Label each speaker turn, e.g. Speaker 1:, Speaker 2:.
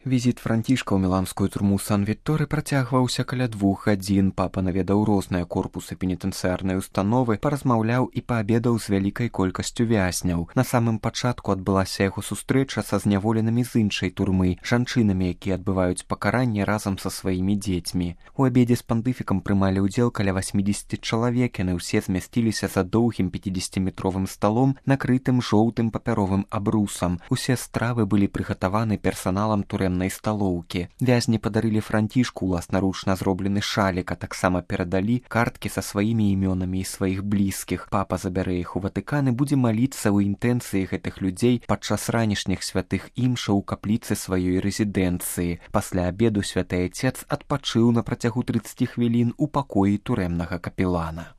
Speaker 1: Візіт Францішка ў міланскую турму Сан-Вікторы працягваўся каля 2 гадзін. Папа наведаў розныя корпусы пенітэнцыярнай установы, паразмаўляў і паабедаў з вялікай колькасцю вязняў. На самым пачатку адбылася яго сустрэча са зняволенымі з іншай турмы, жанчынамі, якія адбываюць пакаранне разам са сваімі дзецьмі. У абедзе з пантыфікам прымалі ўдзел каля 80 чалавек, яны ўсе змясціліся за доўгім 50-метровым сталом, накрытым жоўтым папяровым абрусам. Усе стравы былі прыгатаваны персаналам турэмнай сталоўкі. Вязні падарылі Францішку ўласнаручна зроблены шалік, а таксама перадалі карткі са сваімі імёнамі і сваіх блізкіх. Папа забярэ іх у Ватыкан і будзе маліцца ў інтэнцыі гэтых людзей падчас ранішніх святых імшаў у капліцы сваёй рэзідэнцыі. Пасля абеду святы айцец адпачыў на працягу 30 хвілін у пакоі турэмнага капелана.